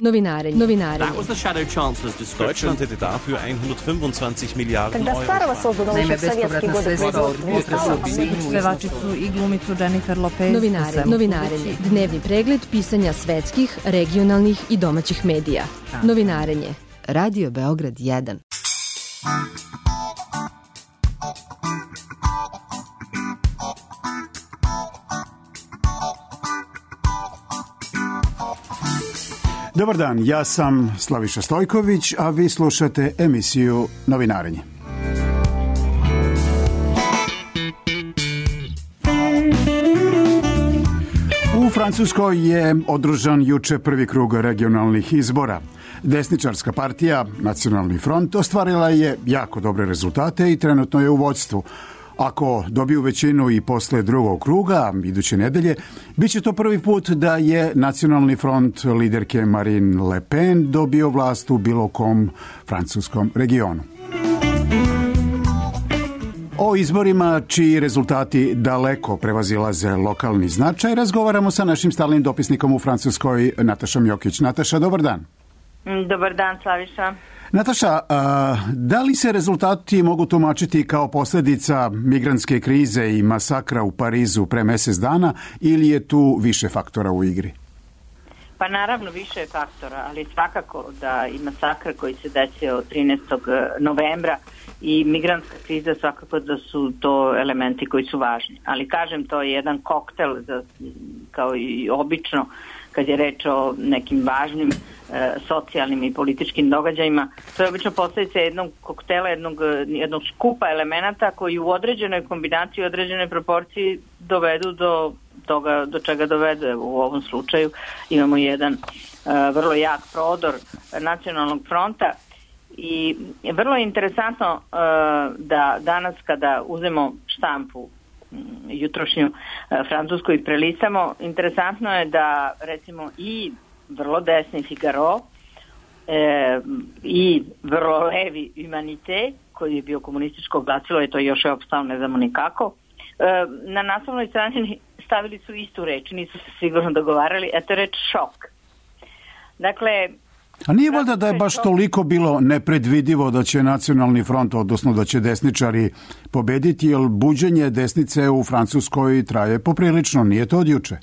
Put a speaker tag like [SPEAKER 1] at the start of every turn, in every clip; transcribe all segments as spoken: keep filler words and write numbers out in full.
[SPEAKER 1] Novinarenje. Novinarenje.
[SPEAKER 2] That was the shadow chancellor's description.
[SPEAKER 3] Deutschland hätte dafür hundertfünfundzwanzig Milliarden
[SPEAKER 4] Когда старого создано
[SPEAKER 5] Naime,
[SPEAKER 4] еще в советские
[SPEAKER 5] bespovratna
[SPEAKER 4] годы
[SPEAKER 5] sredstva od
[SPEAKER 4] производства.
[SPEAKER 5] pevačicu i glumicu Jennifer Lopez.
[SPEAKER 1] Novinare. Novinarenje. Dnevni pregled pisanja svetskih, regionalnih i domaćih medija. Novinarenje. Radio Beograd jedan.
[SPEAKER 6] Dobar dan, ja sam Slaviša Stojković, a vi slušate emisiju Novinarenje. U Francuskoj je održan juče prvi krug regionalnih izbora. Desničarska partija, Nacionalni front, ostvarila je jako dobre rezultate i trenutno je u vođstvu. Ako dobiju većinu i posle drugog kruga, iduće nedelje, bit će to prvi put da je Nacionalni front liderke Marine Le Pen dobio vlast u bilo kom francuskom regionu. O izborima čiji rezultati daleko prevazilaze lokalni značaj razgovaramo sa našim stalnim dopisnikom u Francuskoj, Natašom Jokić. Nataša, dobar dan.
[SPEAKER 7] Dobar dan, Slaviša.
[SPEAKER 6] Nataša, a, da li se rezultati mogu tumačiti kao posljedica migrantske krize i masakra u Parizu pre mjesec dana ili je tu više faktora u igri?
[SPEAKER 7] Pa naravno više je faktora, ali svakako da i masakr koji se desio trinaestog novembra i migrantska kriza svakako da su to elementi koji su važni. Ali kažem, to je jedan koktel za, kao i obično kad je reč o nekim važnim e, socijalnim i političkim događajima. To je obično posljedica jednog koktela, jednog, jednog skupa elemenata koji u određenoj kombinaciji, u određenoj proporciji dovedu do toga do čega dovede. U ovom slučaju imamo jedan e, vrlo jak prodor Nacionalnog fronta i vrlo je interesantno e, da danas kada uzmemo štampu jutrošnju francusku i prelistamo, interesantno je da recimo i vrlo desni Figaro e, i vrlo levi Humanité, koji je bio komunističko glasilo i to još je opstao, ne znamo nikako, e, na naslovnoj strani stavili su istu reč, nisu se sigurno dogovarali, a to je reč šok. Dakle,
[SPEAKER 6] a nije valjda da je baš toliko bilo nepredvidivo da će Nacionalni front, odnosno da će desničari pobediti, jer buđenje desnice u Francuskoj traje poprilično, nije to od juče?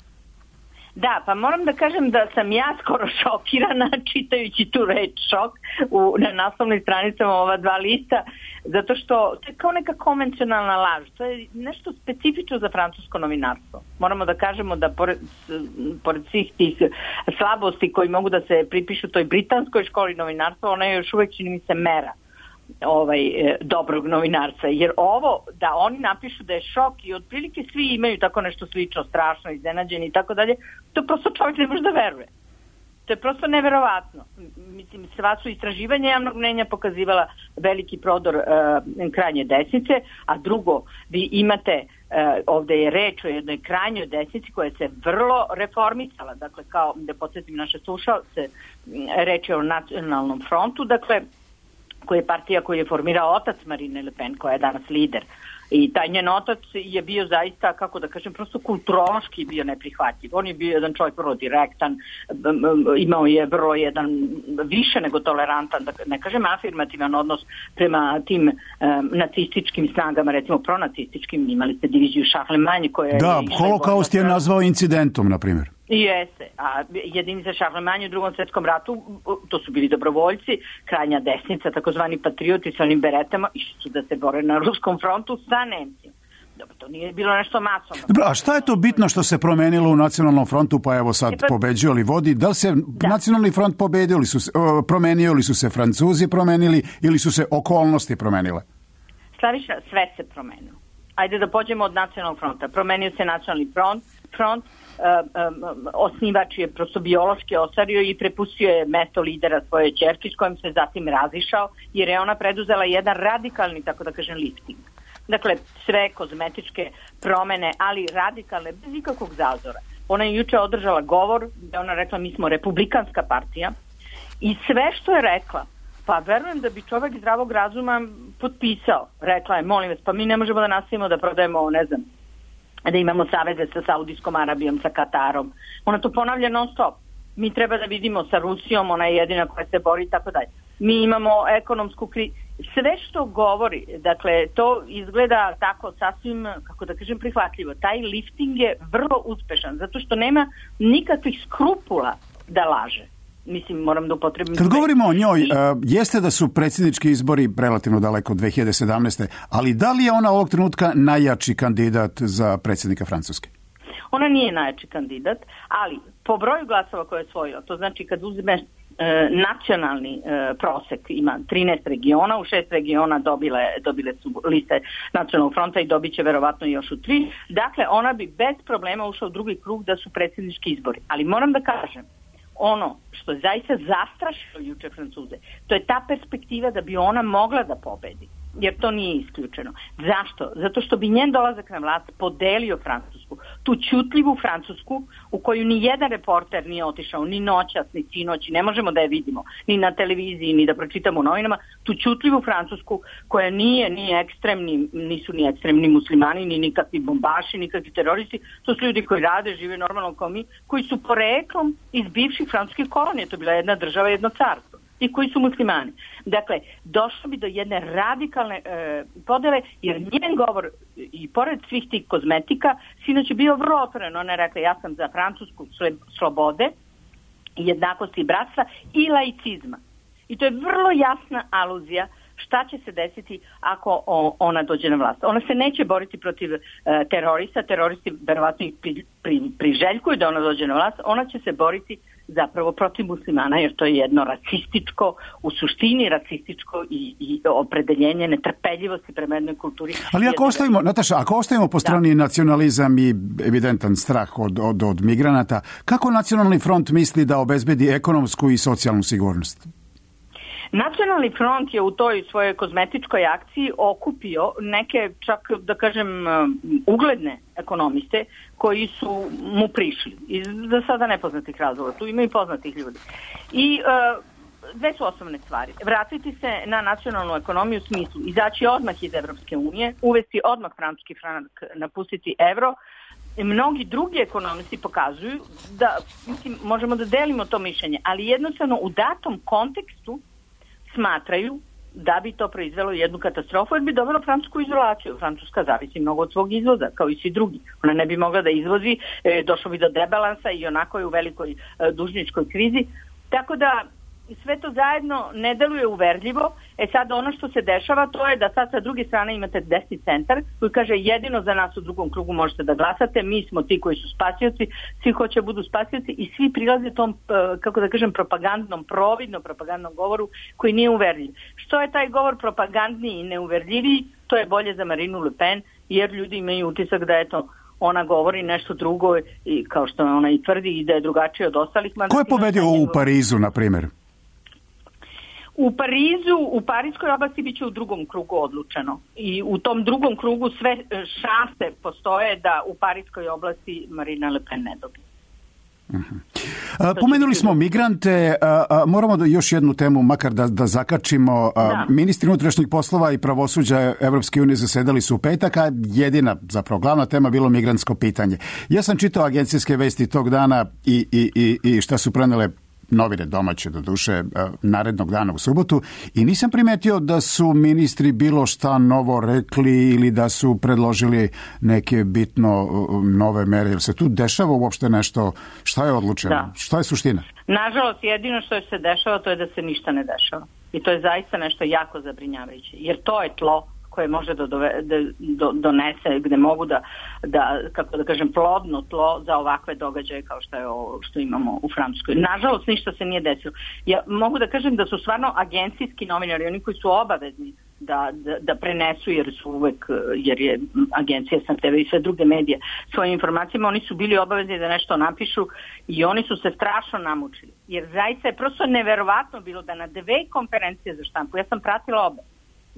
[SPEAKER 7] Da, pa moram da kažem da sam ja skoro šokirana čitajući tu reč šok u, na naslovnim stranicama ova dva lista, zato što to je kao neka konvencionalna laž. To je nešto specifično za francusko novinarstvo. Moramo da kažemo da pored, pored svih tih slabosti koji mogu da se pripišu toj britanskoj školi novinarstva, ona je još uvek, čini mi se, mera ovaj dobrog novinarstva, jer ovo da oni napišu da je šok i otprilike svi imaju tako nešto slično, strašno, iznenađeni i tako dalje, to prosto čovjek ne može da veruje. To je prosto neverovatno. Mislim, sva su istraživanja javnog mnenja pokazivala veliki prodor uh, krajnje desnice, a drugo, vi imate, uh, ovde je reč o jednoj krajnjoj desnici koja se vrlo reformisala, dakle, kao da podsjetim naše slušalce, reč je o Nacionalnom frontu, dakle, koja je partija koju je formirao otac Marine Le Pen, koja je danas lider. I taj njen otac je bio zaista, kako da kažem, prosto kulturološki bio neprihvatljiv. On je bio jedan čovjek vrlo direktan, imao je vrlo jedan više nego tolerantan, da ne kažem afirmativan odnos prema tim um, nacističkim snagama, recimo pronacističkim, imali ste diviziju Charlemagne koja je...
[SPEAKER 6] Da, holokaust je nazvao incidentom, na primjer.
[SPEAKER 7] Jeste, a jedinica Charlemagne u drugom svjetskom ratu, to su bili dobrovoljci, krajnja desnica, takozvani patrioti sa onim beretama, išli su da se bore na ruskom frontu sa Nemcima. Dobro, to nije bilo nešto masovno.
[SPEAKER 6] Dobro, a šta je to bitno što se promenilo u Nacionalnom frontu, pa evo sad
[SPEAKER 7] e pa,
[SPEAKER 6] pobeđuje li vodi? Da li se da. Nacionalni front pobedio, li su se, promenio, ili su se Francuzi promenili, ili su se okolnosti promenile?
[SPEAKER 7] Slaviša, sve se promenilo. Ajde da pođemo od Nacionalnog fronta. Promenio se Nacionalni front, front Uh, um, osnivač je prosto biološki ostario i prepustio je mesto lidera svoje ćerki s kojim se zatim razišao, jer je ona preduzela jedan radikalni, tako da kažem, lifting. Dakle, sve kozmetičke promene, ali radikalne, bez ikakvog zazora. Ona je juče održala govor gde ona rekla mi smo republikanska partija i sve što je rekla, pa verujem da bi čovjek zdravog razuma potpisao. Rekla je, molim vas, pa mi ne možemo da nastavimo da prodajemo, ne znam, da imamo saveze sa Saudijskom Arabijom, sa Katarom. Ona to ponavlja non stop. Mi treba da vidimo sa Rusijom, ona je jedina koja se bori i tako dalje. Mi imamo ekonomsku krizu. Sve što govori, dakle, to izgleda tako sasvim, kako da kažem, prihvatljivo. Taj lifting je vrlo uspešan, zato što nema nikakvih skrupula da laže. Mislim, moram da upotrebim...
[SPEAKER 6] Kad govorimo o njoj, I... uh, jeste da su predsjednički izbori relativno daleko od dve hiljade sedamnaeste. Ali da li je ona ovog trenutka najjači kandidat za predsjednika Francuske?
[SPEAKER 7] Ona nije najjači kandidat, ali po broju glasova koje je osvojila, to znači kad uzmeš e, nacionalni e, prosek, ima trinaest regiona, u šest regiona dobile, dobile su liste Nacionalnog fronta i dobit će verovatno još u tri. Dakle, ona bi bez problema ušla u drugi krug da su predsjednički izbori. Ali moram da kažem, ono što je zaista zastrašilo juče Francuze, to je ta perspektiva da bi ona mogla da pobedi. Jer to nije isključeno. Zašto? Zato što bi njen dolazak na vlast podelio Francusku. Tu ćutljivu Francusku u koju ni jedan reporter nije otišao, ni noćas, ni sinoć, ne možemo da je vidimo, ni na televiziji, ni da pročitamo u novinama, tu ćutljivu Francusku koja nije ni ekstremni, nisu ni ekstremni muslimani, ni nikakvi bombaši, nikakvi teroristi, to su ljudi koji rade, žive normalno kao mi, koji su poreklom iz bivših francuskih kolonija, to je bila jedna država, jedno carstvo, i koji su muslimani. Dakle, došlo bi do jedne radikalne e, podele, jer njen govor, i pored svih tih kozmetika, sinoć je bio vrlo otvoren. Ona je rekla, ja sam za francusku slobode, jednakosti i bratstva i laicizma. I to je vrlo jasna aluzija šta će se desiti ako o, ona dođe na vlast. Ona se neće boriti protiv e, terorista, teroristi verovatno ih pri, pri, priželjkuju da ona dođe na vlast, ona će se boriti zapravo protiv muslimana, jer to je jedno racističko, u suštini racističko i, i opredeljenje netrpeljivosti prema jednoj kulturi.
[SPEAKER 6] Ali ako ostavimo, Nataša, ako ostavimo po strani da. nacionalizam i evidentan strah od, od, od migranata, kako Nacionalni front misli da obezbedi ekonomsku i socijalnu sigurnost?
[SPEAKER 7] Nacionalni front je u toj svojoj kozmetičkoj akciji okupio neke, čak da kažem, ugledne ekonomiste koji su mu prišli. Iz za sada nepoznatih razloga. Tu ima i poznatih ljudi. I uh, dve su osnovne stvari. Vratiti se na nacionalnu ekonomiju u smislu izaći odmah iz Evropske unije, uvesti odmah francuski franak, napustiti evro. I mnogi drugi ekonomisti pokazuju da, mislim, možemo da delimo to mišljenje, ali jednostavno u datom kontekstu smatraju da bi to proizvelo jednu katastrofu, jer bi dovelo Francusku izolaciju. Francuska zavisi mnogo od svog izvoza, kao i svi drugi. Ona ne bi mogla da izvozi, e, došlo bi do debalansa i onako je u velikoj e, dužničkoj krizi. Tako da sve to zajedno ne deluje uverljivo. E sad ono što se dešava, to je da sad sa druge strane imate desni centar koji kaže jedino za nas u drugom krugu možete da glasate, mi smo ti koji su spasioci, svi hoće budu spasioci i svi prilaze tom, kako da kažem, propagandnom, providnom propagandnom govoru koji nije uverljiv. Što je taj govor propagandniji i neuverljiviji, to je bolje za Marinu Le Pen, jer ljudi imaju utisak da je to ona govori nešto drugo i kao što ona i tvrdi i da je drugačije od ostalih.
[SPEAKER 6] Ko je pobedio u Parizu, na primjer?
[SPEAKER 7] U Parizu, u Parijskoj oblasti bit će u drugom krugu odlučeno. I u tom drugom krugu sve šanse postoje da u Parijskoj oblasti Marina Le Pen ne dobije.
[SPEAKER 6] Uh-huh. Pomenuli smo migrante, a, a, moramo da još jednu temu makar da, da zakačimo. Da. Ministri unutrašnjih poslova i pravosuđa Evropske unije zasedali su u petak, a jedina, zapravo glavna tema bilo migrantsko pitanje. Ja sam čitao agencijske vesti tog dana i, i, i, i šta su prenele novine domaće, do duše, narednog dana u subotu, i nisam primetio da su ministri bilo šta novo rekli ili da su predložili neke bitno nove mere. Jer se tu dešava uopšte nešto? Šta je odlučeno? Da. Šta je suština?
[SPEAKER 7] Nažalost, jedino što se dešava to je da se ništa ne dešava. I to je zaista nešto jako zabrinjavajuće. Jer to je tlo koje može da, dove, da do, donese, gde mogu da, da, kako da kažem, plodno tlo za ovakve događaje kao što je ovo što imamo u Francuskoj. Nažalost, ništa se nije desilo. Ja mogu da kažem da su stvarno agencijski novinari, oni koji su obavezni da, da, da prenesu, jer su uvek, jer je agencija S N T V i sve druge medije svojim informacijama, oni su bili obavezni da nešto napišu i oni su se strašno namučili. Jer zaista je prosto neverovatno bilo da na dve konferencije za štampu, ja sam pratila obe,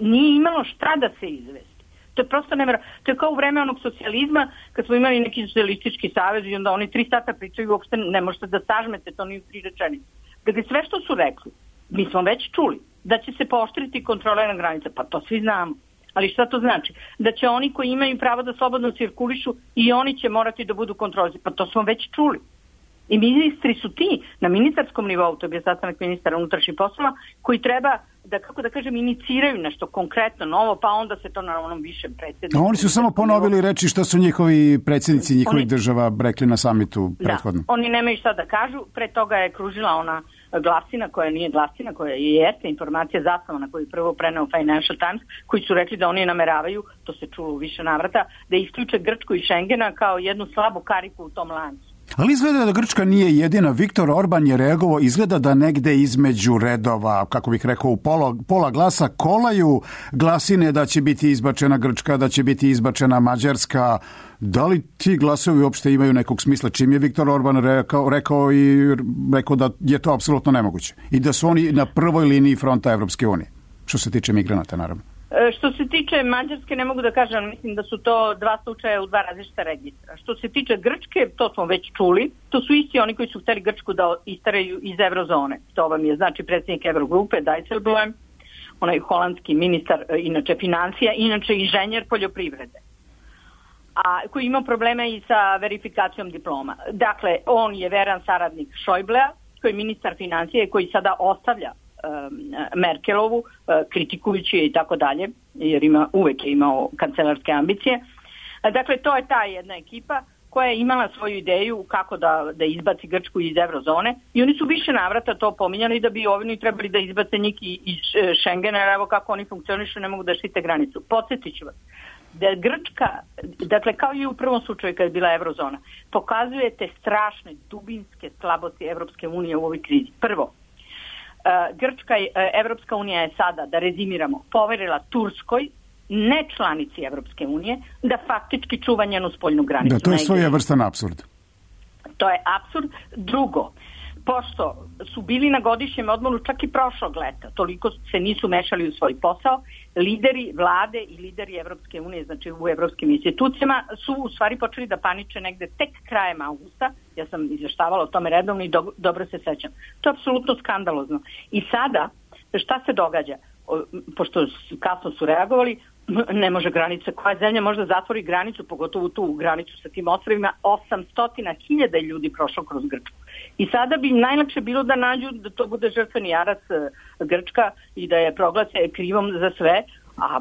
[SPEAKER 7] nije imalo šta da se izvesti. To je prosto nevjerojatno. To je kao u vreme onog socijalizma, kad smo imali neki socijalistički savez i onda oni tri sata pričaju, uopšte ne možete da sažmete, to nije u tri rečenice. Dakle, sve što su rekli, mi smo već čuli, da će se pooštriti kontrole na granice, pa to svi znamo. Ali šta to znači? Da će oni koji imaju pravo da slobodno cirkulišu i oni će morati da budu kontroli, pa to smo već čuli. I ministri su ti na ministarskom nivou, to je bio sastanak ministara unutrašnjih poslova, koji treba da, kako da kažem, iniciraju nešto konkretno novo, pa onda se to na onom višem predsjedniku.
[SPEAKER 6] Oni su samo ponovili reći što su njihovi predsjednici njihovih
[SPEAKER 7] oni,
[SPEAKER 6] država rekli na samitu prethodno.
[SPEAKER 7] Da, oni nemaju šta da kažu, pre toga je kružila ona glasina koja nije glasina, koja je jeste informacija zasnovana koju je prvo preneo Financial Times, koji su rekli da oni nameravaju, to se čulo u više navrata, da isključe Grčku iz Schengena kao jednu slabu kariku u tom lancu.
[SPEAKER 6] Ali izgleda da Grčka nije jedina. Viktor Orban je reagovao, izgleda da negde između redova, kako bih rekao, u pola, pola glasa kolaju glasine da će biti izbačena Grčka, da će biti izbačena Mađarska. Da li ti glasovi uopšte imaju nekog smisla? Čim je Viktor Orban rekao, rekao i rekao da je to apsolutno nemoguće i da su oni na prvoj liniji fronta Evropske unije, što se tiče migranata, naravno.
[SPEAKER 7] Što se tiče Mađarske, ne mogu da kažem, mislim da su to dva slučaja u dva različita registra. Što se tiče Grčke, to smo već čuli, to su isti oni koji su hteli Grčku da istaraju iz eurozone. To vam je znači predsjednik Eurogrupe, Dijsselbloem, onaj holandski ministar, inače financija, inače inženjer poljoprivrede, a koji ima probleme i sa verifikacijom diploma. Dakle, on je veran saradnik Schäublea, koji je ministar financije, koji sada ostavlja Merkelovu, kritikujući je i tako dalje, jer ima, uvek je imao kancelarske ambicije. Dakle, to je ta jedna ekipa koja je imala svoju ideju kako da, da izbaci Grčku iz eurozone i oni su više navrata to pominjali da bi oni trebali da izbace njih iz Schengena, jer evo kako oni funkcionišu, ne mogu da štite granicu. Podsjetit ću vas da je Grčka, dakle kao i u prvom slučaju kad je bila eurozona, pokazuje te strašne dubinske slabosti Evropske unije u ovoj krizi. Prvo, Grčka, Evropska unija je sada, da rezimiramo, poverila Turskoj, ne članici Evropske unije, da faktički čuva njenu spoljnu granicu.
[SPEAKER 6] Da, to je svojevrstan apsurd.
[SPEAKER 7] To je apsurd. Drugo, pošto su bili na godišnjem odmoru čak i prošlog leta, toliko se nisu mešali u svoj posao, lideri vlade i lideri Evropske unije, znači u evropskim institucijama, su u stvari počeli da paniče negde tek krajem augusta. Ja sam izvještavala o tome redovno i do, dobro se sećam. To je apsolutno skandalozno. I sada, šta se događa? O, pošto kasno su reagovali, ne može granica, koja zemlja može da zatvori granicu, pogotovo tu granicu sa tim ostrovima, osamsto hiljada ljudi prošlo kroz Grčku. I sada bi najlakše bilo da nađu da to bude žrtveni jarac Grčka i da je proglase krivom za sve, a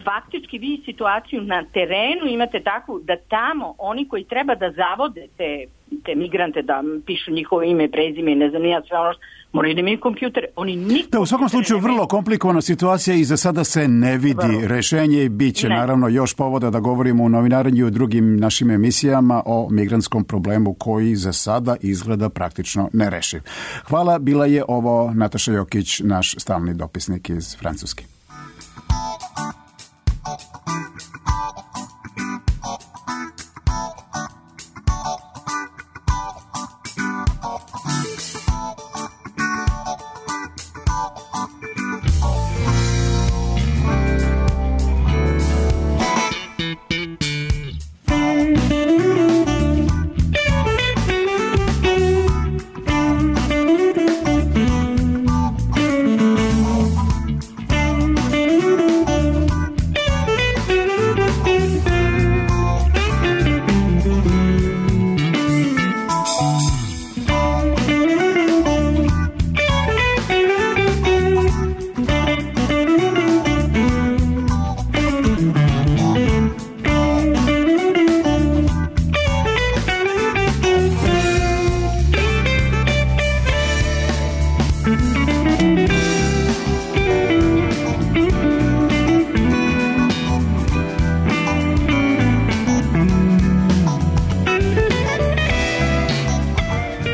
[SPEAKER 7] faktički vi situaciju na terenu imate takvu da tamo oni koji treba da zavode te, te migrante, da pišu njihovo ime, prezime i ne znam nija sve ono što moraju da imaju kompjutere. Oni nikog... Da,
[SPEAKER 6] u svakom slučaju vrlo komplikovana situacija i za sada se ne vidi vrlo rešenje i bit će ne. naravno još povoda da govorimo u novinarenju i u drugim našim emisijama o migrantskom problemu koji za sada izgleda praktično nerešiv. Hvala, bila je ovo Nataša Jokić, naš stalni dopisnik iz Francuske.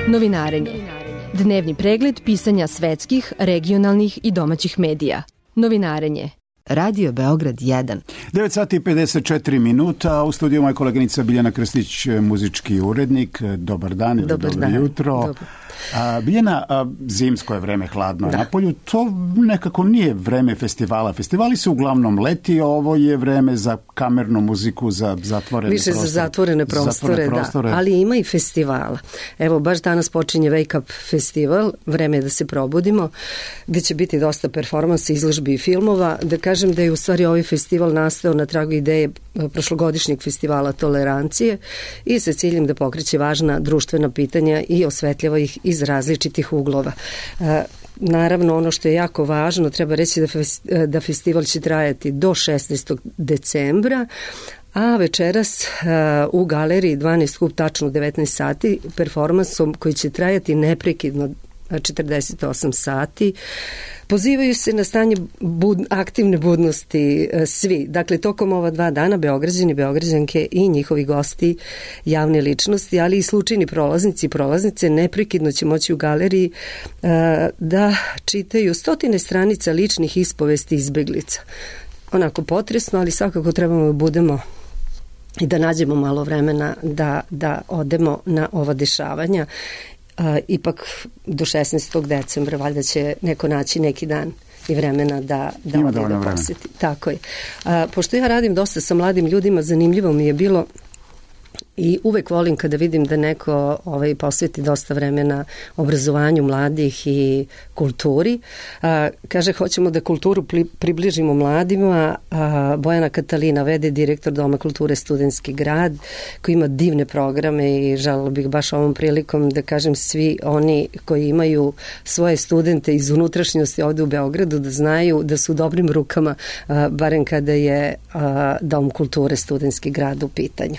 [SPEAKER 1] Novinarenje. Dnevni pregled pisanja svetskih, regionalnih i domaćih medija. Novinarenje. Radio Beograd jedan.
[SPEAKER 6] devet sati i pedeset četiri minuta, u studiju moja koleginica Biljana Krstić, muzički urednik. Dobar dan ili
[SPEAKER 1] Dobar
[SPEAKER 6] dobro
[SPEAKER 1] dan.
[SPEAKER 6] jutro.
[SPEAKER 1] Dobar.
[SPEAKER 6] A, Biljana, a, zimsko je vreme, hladno da. na polju, to nekako nije vreme festivala. Festivali su uglavnom leti, ovo je vreme za kamernu muziku, za zatvorene
[SPEAKER 2] Više
[SPEAKER 6] prostore.
[SPEAKER 2] za zatvorene prostore,
[SPEAKER 6] zatvorene
[SPEAKER 2] da.
[SPEAKER 6] prostore.
[SPEAKER 2] Ali ima i festivala. Evo, baš danas počinje Wake Up festival, vreme je da se probudimo, gde će biti dosta performansa, izložbi i filmova. Da kažem, kažem da je u stvari ovaj festival nastao na tragu ideje prošlogodišnjeg festivala Tolerancije i sa ciljem da pokreće važna društvena pitanja i osvetljava ih iz različitih uglova. Naravno, ono što je jako važno, treba reći da, fest, da festival će trajati do šesnaestog decembra, a večeras uh, u galeriji dvanaest kup tačno devetnaest sati performansom koji će trajati neprekidno četrdeset osam sati. Pozivaju se na stanje bud, aktivne budnosti uh, svi. Dakle, tokom ova dva dana Beograđani, Beograđanke i njihovi gosti, javne ličnosti, ali i slučajni prolaznici i prolaznice neprekidno će moći u galeriji uh, da čitaju stotine stranica ličnih ispovesti izbeglica. Onako potresno, ali svakako trebamo da budemo i da nađemo malo vremena da, da odemo na ova dešavanja. Uh, ipak do šesnaestog decembra valjda će neko naći neki dan i vremena da, da ode da poseti. Tako je. Uh, pošto ja radim dosta sa mladim ljudima, zanimljivo mi je bilo i uvek volim kada vidim da neko ovaj, posveti dosta vremena obrazovanju mladih i kulturi. A, kaže, hoćemo da kulturu pli, približimo mladima. A, Bojana Katalina, vede direktor Doma kulture Studentski grad, koji ima divne programe i želela bih baš ovom prilikom da kažem svi oni koji imaju svoje studente iz unutrašnjosti ovde u Beogradu da znaju da su u dobrim rukama, a, barem kada je a, Dom kulture Studentski grad u pitanju.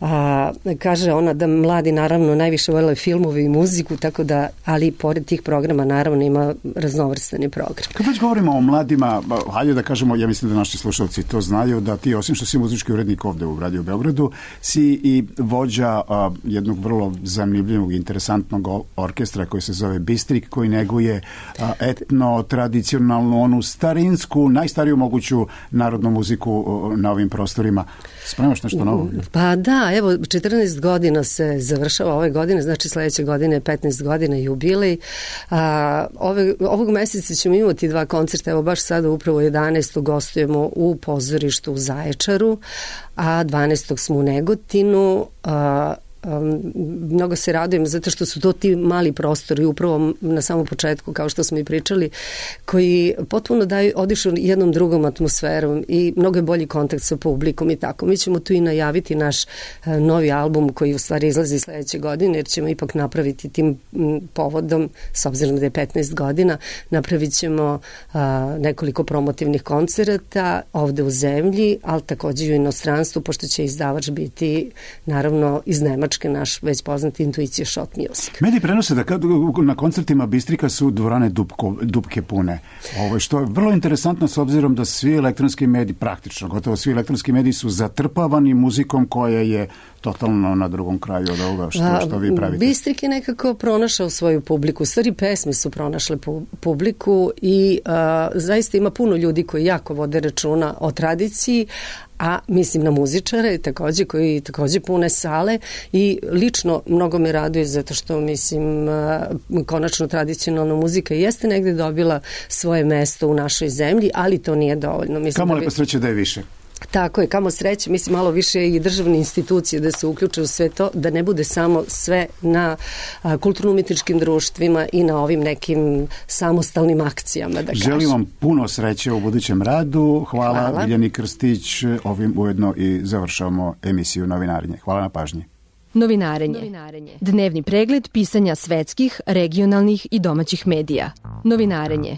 [SPEAKER 2] A, kaže ona da mladi naravno najviše vole filmove i muziku, tako da, ali pored tih programa naravno ima raznovrstani program.
[SPEAKER 6] Kad već govorimo o mladima, hajde da kažemo, ja mislim da naši slušalci to znaju, da ti osim što si muzički urednik ovde u Radio Beogradu, si i vođa a, jednog vrlo zanimljivog, interesantnog orkestra koji se zove Bistrik, koji neguje a, etno, tradicionalnu, onu starinsku, najstariju moguću narodnu muziku a, na ovim prostorima. Spremaš nešto novo?
[SPEAKER 2] Pa da, evo, četrnaest godina se završava ove godine, znači sledeće godine je petnaest godina jubilej. A, ove, ovog meseca ćemo imati dva koncerta, evo baš sada upravo jedanaestog gostujemo u pozorištu u Zaječaru, a dvanaestog smo u Negotinu. A, Um, mnogo se radujem zato što su to ti mali prostori upravo na samom početku, kao što smo i pričali, koji potpuno daju, odišu jednom drugom atmosferom i mnogo je bolji kontakt sa publikom i tako. Mi ćemo tu i najaviti naš uh, novi album koji u stvari izlazi sledeće godine, jer ćemo ipak napraviti tim m, povodom, s obzirom da je petnaest godina, napravit ćemo uh, nekoliko promotivnih koncerata ovde u zemlji, ali takođe i u inostranstvu, pošto će izdavač biti naravno iz Nemačke, naš već poznati Intuicija Shot Music.
[SPEAKER 6] Mediji prenose da kad, na koncertima Bistrika su dvorane dupko, dupke pune. Ovo, što je vrlo interesantno s obzirom da svi elektronski mediji, praktično, gotovo svi elektronski mediji su zatrpavani muzikom koja je totalno na drugom kraju od ovoga što, što vi pravite.
[SPEAKER 2] Bistrik je nekako pronašao svoju publiku. Stvari pesme su pronašle publiku i a, zaista ima puno ljudi koji jako vode računa o tradiciji, a mislim na muzičare takođe koji takođe pune sale i lično mnogo me raduje zato što mislim konačno tradicionalna muzika jeste negde dobila svoje mesto u našoj zemlji, ali to nije dovoljno. Mislim
[SPEAKER 6] Kamo
[SPEAKER 2] da
[SPEAKER 6] lepo sreće da je više.
[SPEAKER 2] Tako je, kamo sreće, mislim malo više i državne institucije da se uključe u sve to, da ne bude samo sve na kulturno-umetničkim društvima i na ovim nekim samostalnim akcijama, da kažem.
[SPEAKER 6] Želim vam puno sreće u budućem radu. Hvala,
[SPEAKER 2] Hvala.
[SPEAKER 6] Biljani Krstić. Ovim ujedno i završavamo emisiju Novinarenje. Hvala na pažnji.
[SPEAKER 1] Novinarenje. Novinarenje. Dnevni pregled pisanja svetskih, regionalnih i domaćih medija. Novinarenje.